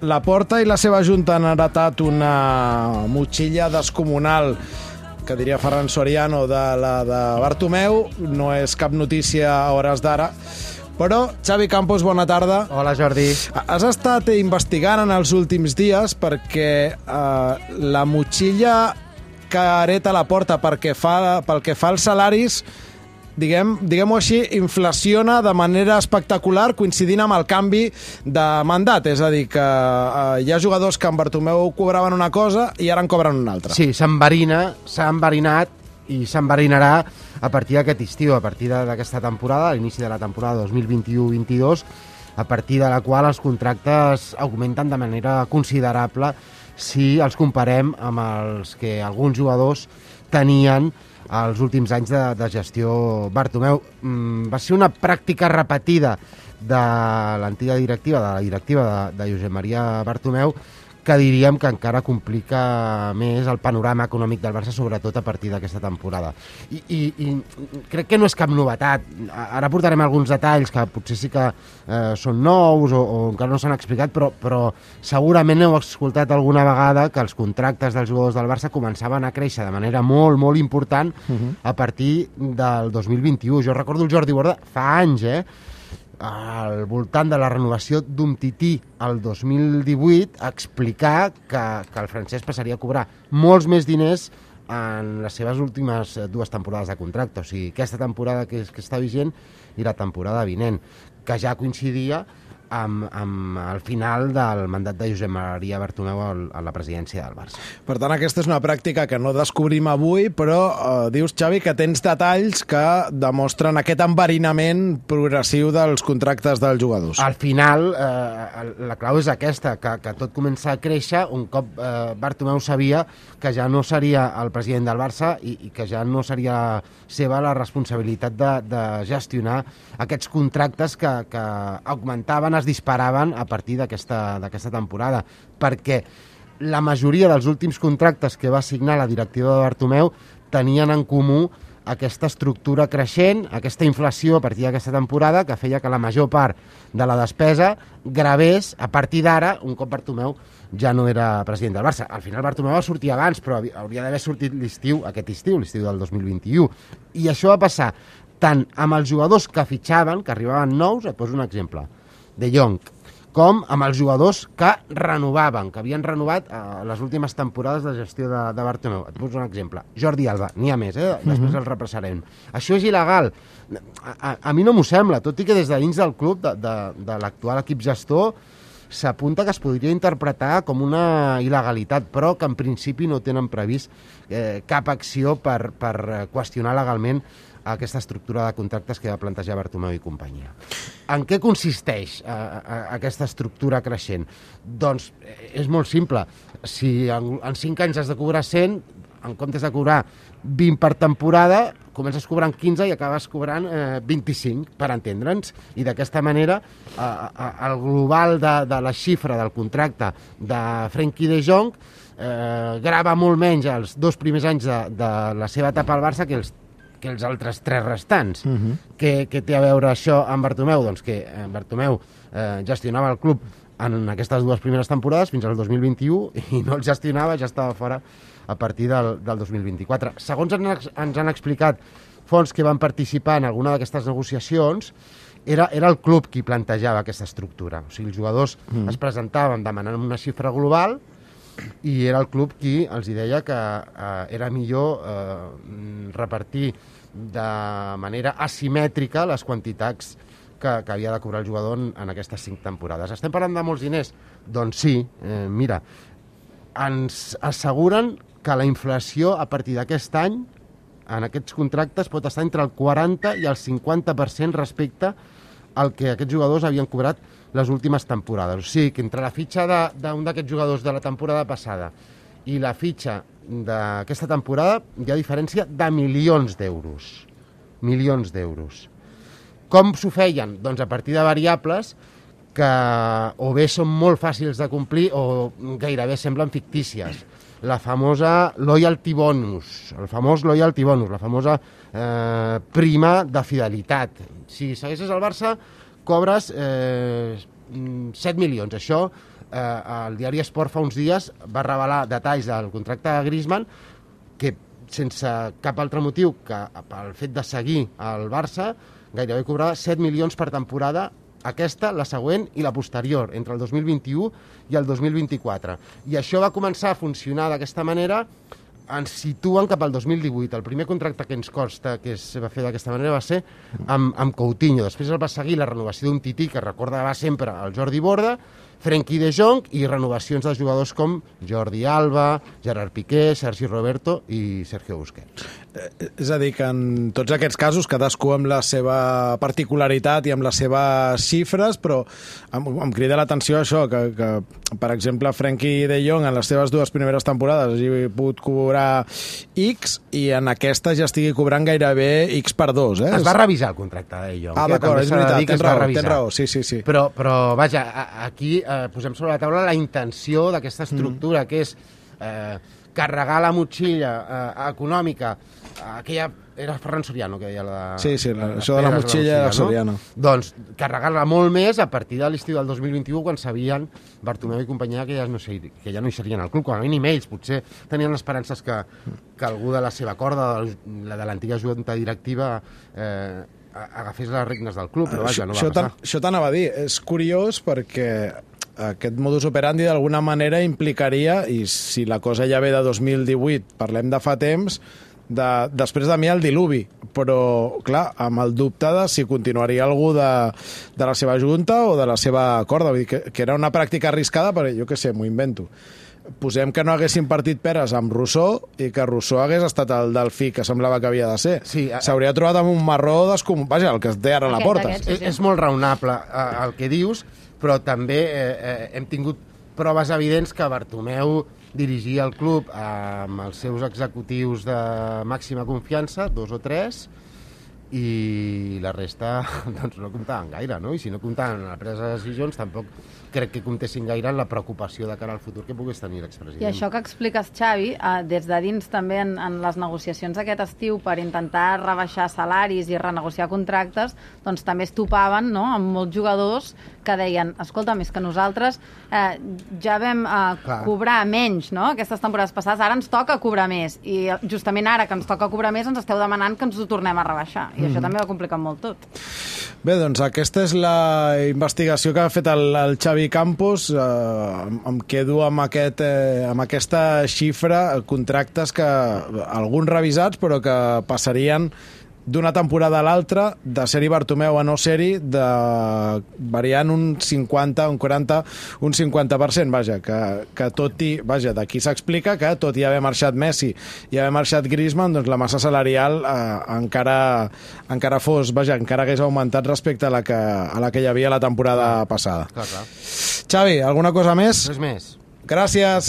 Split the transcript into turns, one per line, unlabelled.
La Porta i la seva junta han heretat una motxilla descomunal, que diria Ferran Soriano, de la de Bartomeu. No és cap notícia a hores d'ara. Però, Xavi Campos, bona tarda.
Hola, Jordi.
Has estat investigant en els últims dies perquè la motxilla que hereta la Porta pel que fa als salaris, diguem-ho així, inflaciona de manera espectacular coincidint amb el canvi de mandat. És a dir, que hi ha jugadors que amb Bartomeu cobraven una cosa i ara en cobren una altra.
Sí, s'ha enverinat i s'enverinarà a partir d'aquest estiu, a partir d'aquesta temporada, a l'inici de la temporada 2021-22, a partir de la qual els contractes augmenten de manera considerable si els comparem amb els que alguns jugadors tenien els últims anys de gestió Bartomeu. Va ser una pràctica repetida de l'antiga directiva, de la directiva de Josep Maria Bartomeu, que diríem que encara complica més el panorama econòmic del Barça, sobretot a partir d'aquesta temporada. I crec que no és cap novetat. Ara portarem alguns detalls que potser sí que són nous o encara no s'han explicat, però segurament heu escoltat alguna vegada que els contractes dels jugadors del Barça començaven a créixer de manera molt, molt important a partir del 2021. Jo recordo el Jordi Borda fa anys, al voltant de la renovació d'Umtiti el 2018, explicar que el francès passaria a cobrar molts més diners en les seves últimes 2 temporades de contracte, o sigui, aquesta temporada que està vigent i la temporada vinent, que ja coincidia amb el final del mandat de Josep Maria Bartomeu a la presidència del Barça.
Per tant, aquesta és una pràctica que no descobrim avui, però dius, Xavi, que tens detalls que demostren aquest enverinament progressiu dels contractes dels jugadors.
Al final, la clau és aquesta, que tot comença a créixer un cop Bartomeu sabia que ja no seria el president del Barça i que ja no seria seva la responsabilitat de gestionar aquests contractes que augmentaven, es disparaven a partir d'aquesta temporada, perquè la majoria dels últims contractes que va signar la directiva de Bartomeu tenien en comú aquesta estructura creixent, aquesta inflació a partir d'aquesta temporada, que feia que la major part de la despesa gravés a partir d'ara, un cop Bartomeu ja no era president del Barça. Al final Bartomeu va sortir abans, però hauria d'haver sortit l'estiu del 2021. I això va passar tant amb els jugadors que fitxaven, que arribaven nous, et poso un exemple, De Jong, com amb els jugadors que renovaven, que havien renovat les últimes temporades de gestió de Bartomeu. Et poso un exemple. Jordi Alba, n'hi ha més, després el repassarem. Això és il·legal. A mi no m'ho sembla, tot i que des de dins del club, de l'actual equip gestor, s'apunta que es podria interpretar com una il·legalitat, però que en principi no tenen previst cap acció per qüestionar legalment aquesta estructura de contractes que va plantejar Bartomeu i companyia. En què consisteix aquesta estructura creixent? Doncs és molt simple. Si en 5 anys has de cobrar 100, en comptes de cobrar 20 per temporada, comences cobrant 15 i acabes cobrant 25, per entendre'ns. I d'aquesta manera, el global de la xifra del contracte de Frenkie de Jong grava molt menys els 2 primers anys de la seva etapa al Barça que els altres 3 restants. Què té a veure això amb Bartomeu? Doncs que Bartomeu gestionava el club en aquestes 2 primeres temporades fins al 2021 i no el gestionava, ja estava fora a partir del 2024. Segons ens han explicat fons que van participar en alguna d'aquestes negociacions, era el club qui plantejava aquesta estructura. O sigui, els jugadors es presentaven demanant una xifra global i era el club qui els deia que era millor repartir de manera asimètrica les quantitats que havia de cobrar el jugador en aquestes 5 temporades. Estem parlant de molts diners? Doncs sí, mira, ens asseguren que la inflació a partir d'aquest any en aquests contractes pot estar entre el 40 i el 50% respecte al que aquests jugadors havien cobrat les últimes temporades. O sigui, que entre la fitxa d'un d'aquests jugadors de la temporada passada i la fitxa d'aquesta temporada hi ha diferència de milions d'euros. Milions d'euros. Com s'ho feien? Doncs a partir de variables que o bé són molt fàcils de complir o gairebé semblen fictícies. La famosa loyalty bonus, el famós loyalty bonus, la famosa prima de fidelitat. Si segueixes al Barça, cobres 7 milions. Això el diari Esport fa uns dies va revelar detalls del contracte de Griezmann que sense cap altre motiu que pel fet de seguir al Barça gairebé cobrava 7 milions per temporada, aquesta, la següent i la posterior, entre el 2021 i el 2024. I això va començar a funcionar d'aquesta manera, ens situen cap al 2018. El primer contracte que ens consta que es va fer d'aquesta manera va ser amb Coutinho. Després el va seguir la renovació d'un Tití que recordava sempre el Jordi Borda, Frenkie de Jong i renovacions de jugadors com Jordi Alba, Gerard Piqué, Sergi Roberto i Sergio Busquets.
És a dir, que en tots aquests casos, cadascú amb la seva particularitat i amb les seves xifres, però em crida l'atenció això, que per exemple, Frenkie de Jong en les seves 2 primeres temporades hagi pogut cobrar X i en aquesta ja estigui cobrant gairebé X per 2.
Es va revisar el contracte de Jong.
D'acord, és veritat, tens raó, sí.
Però vaja, aquí posem sobre la taula la intenció d'aquesta estructura, que és carregar la motxilla econòmica, aquella... Era Ferran Soriano que deia la...
Sí, això de la motxilla de Soriano.
No? Doncs carregar-la molt més a partir de l'estiu del 2021, quan sabien Bartomeu i companyia que ja no hi serien al club, com a mínim ells. Potser tenien esperances que algú de la seva corda, de l'antiga junta directiva, agafés les regnes del club, però vaja, no va passar.
Això t'anava a dir. És curiós perquè aquest modus operandi d'alguna manera implicaria, i si la cosa ja ve de 2018, parlem de fa temps, després de mi el diluvi, però clar, amb el dubte de si continuaria algú de la seva junta o de la seva corda, vull dir que era una pràctica arriscada, perquè jo què sé, m'ho invento. Posem que no haguessin partit peres amb Rousseau i que Rousseau hagués estat el delfí que semblava que havia de ser.
Sí,
s'hauria trobat amb un marró vaja, el que es té ara a la porta.
És molt raonable el que dius, però també hem tingut proves evidents que Bartomeu dirigia el club amb els seus executius de màxima confiança, 2 o 3, i la resta doncs, no comptaven gaire, no? I si no comptaven en la presa de decisions, tampoc crec que comptessin gaire en la preocupació de cara al futur que pogués tenir l'expresident.
I això que expliques, Xavi, des de dins també en les negociacions aquest estiu per intentar rebaixar salaris i renegociar contractes, doncs també es topaven, no?, amb molts jugadors que deien, escolta, més que nosaltres ja vam cobrar menys, no?, aquestes temporades passades, ara ens toca cobrar més, i justament ara que ens toca cobrar més ens esteu demanant que ens ho tornem a rebaixar, i això també va complicar molt tot.
Bé, doncs aquesta és la investigació que ha fet el Xavi Campos. Em quedo amb aquesta xifra, contractes que alguns revisats però que passarien d'una temporada a l'altra, de ser-hi Bartomeu a no ser-hi, variant un 50, un 40, un 50%, vaja, que tot i, vaja, d'aquí s'explica que tot i haver marxat Messi i haver marxat Griezmann, doncs la massa salarial encara fos, vaja, encara hagués augmentat respecte a la que hi havia la temporada passada.
Clar.
Xavi, alguna cosa més?
Res més.
Gràcies.